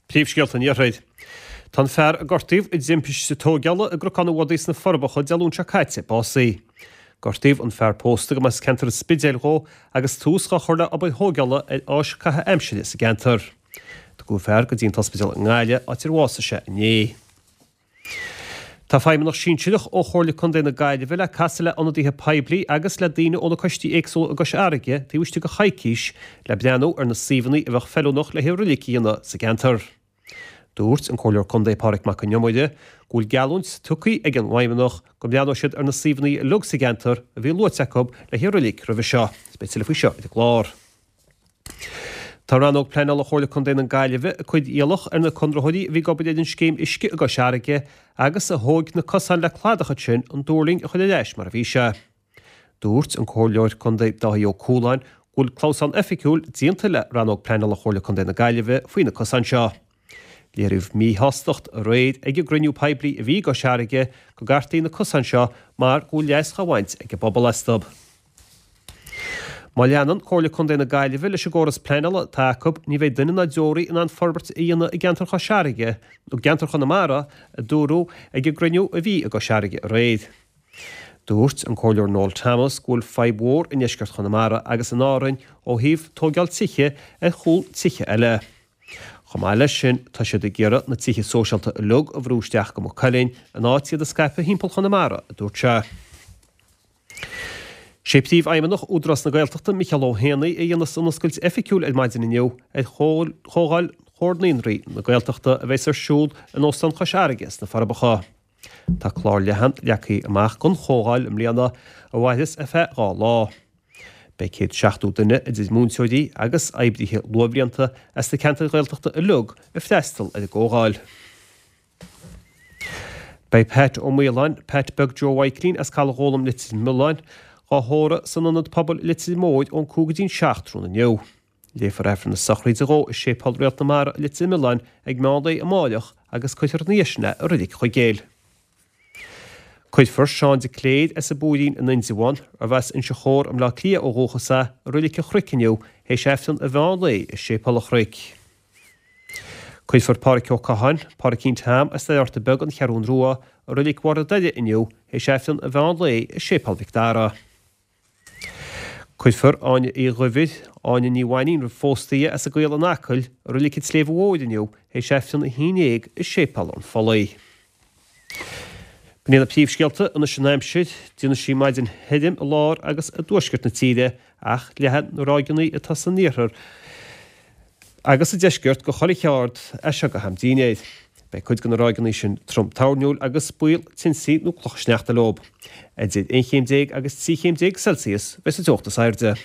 Príomhscéalta an Iarthair. Tá an fear a gortaíodh i dtimpiste tóigeála i gCnocán an Bhodaigh sna Forbacha Dé Luain seo caite básaithe. Gortaíodh an fear pósta go mba as ceantar an Spidéil dhó agus tús dhá chur le obair thóigeála ar áis caitheamh aimsire sa gceantar. Tugadh an fear go dtí an t-ospidéal i nGaillimh áit ar bhásaigh sé inné. Tá feidhmeannach sinsearach ó Chomhairle Contae na Gaillimhe le casadh le ionadaithe poiblí agus le daoine ó na coistí éagsúla i gCois Fharraige taobh istigh de choicís le breathnú ar na suíomhanna a bheadh feiliúnach le haghaidh roilig a dhéanamh sa gceantar. Dúirt an Comhairleoir Contae Pádraig Mac Con Iomaire go bhfuil geallúint tugtha ag an bhfeidhmeannach go mbreathnóidh siad ar na suíomhanna uilig sa gceantar a bhí luaite acu le haghaidh roilig roimhe seo. Beidh tuilleadh faoi seo ar an gclár. Tá Rannóg Pleanála Chomhairle Contae na Gaillimhe ag cur iallach ar na conraitheoirí a bhí ag obair ar an scéim uisce i gCois Fharraige agus a thóg na cosáin le cladach ansin an dúrling a chur ar ais mar a bhí sé. Dúirt an Comhairleoir Contae Dáithí Ó Cualáin go bhfuil clamhsán oifigiúil déanta le Rannóg Pleanála Chomhairle Contae na Gaillimhe faoi na cosáin seo. Léiríodh míshástacht aréir ag an gcruinniú poiblí a bhí i gCois Fharraige go gcartaí na cosáin seo mar go bhfuil leas dhá bhaint ag an bpobal astu. Má leanann Comhairle Contae na Gaillimhe leis an gcóras pleanála atá acu, ní bheidh duine ná deoraí in ann forbairt a dhéanamh i gceantar Chois Fharraige, nó gceantar Chonamara, a dúradh ag an gcruinniú a bhí i gCois Fharraige aréir. Dúirt an Comhairleoir Noel Thomas go bhfuil fadhb mhór i ndeisceart Chonamara agus in Árainn ó thaobh tóigeáil tithe ar chúl tithe eile. Chomh maith leis sin, tá siad ag iarraidh na tithe sóisialta uilig a bhrú isteach go Maigh Cuilinn in áit iad a scaipeadh thimpeall Chonamara, a dúirt sé. Sé Príomhfheidhmeannach Údarás na Gaeltachta, Micheál Ó hÉanaí, a dhéanfas an oscailt oifigiúil ar maidin inniu ar Chomhdháil Chomhar Naíonraí na Gaeltachta a bheas ar siúl in Óstán Chois Fharraige sna Forbacha. Tá clár leathan leagtha amach don chomhdháil i mbliana a mhairfeas ar feadh 2 lá. Beidh 170 duine, idir múinteoirí agus oibrithe luathbhlianta as na ceantair Ghaeltachta uilig, ag freastal ar an gcomhdháil. Beidh Pat Ó Maoláin, Pat Beag Joe Mhaidhcilín as Caladh Ghólam Leitir Mealláin, dhá thórramh san Ionad Pobail Leitir Móir ón 5 go dtí'n 7 tráthnóna inniu. Léifear Aifreann na sochraide dhó i Séipéal Réalt na Mara i Leitir Mealláin ag meán lae amáireach agus cuirfear ina dhiaidh sin é i Reilig Chuigéil. Cuirfear Seán de Cléir as an bPúirín in Indreabhán, arbh as Inse Chór i mBleá Cliath ó dhúchas é, i Reilig an Chnoic inniu théis Aifreann an mheán lae i Séipéal an Chnoic. Cuirfear Pádhraic Ó Catháin, Pádraicín Tom as Doire Beag, An Cheathrún Rua, i Reilig Bharr an Doire inniu théis Aifreann an mheán lae i Séipéal Mhic Dara. Cuirfear Áine Uí Dhuibhir, Áine Ní Mhainín roimh phósta í, as an gCaol in Acaill, i Reilig an tSléibhe Mhóir inniu théis Aifreann a 11 i Séipéal an Phollaigh. B'in iad na príomhscéalta anois an aimsir. Déanfaidh sí maidin thirim i lár agus i dtuaisceart na tíre ach leathfaidh na ráigeanna atá san iarthar agus sa deisceart go chuile cheard as seo go ham dinnéir. Beidh cuid de na ráigeanna sin trom toirniúil agus baol tinsí nó clocha sneachta leo. Idir 11 chéim agus 13 chéim Celsius a bheidh sa teocht is airde.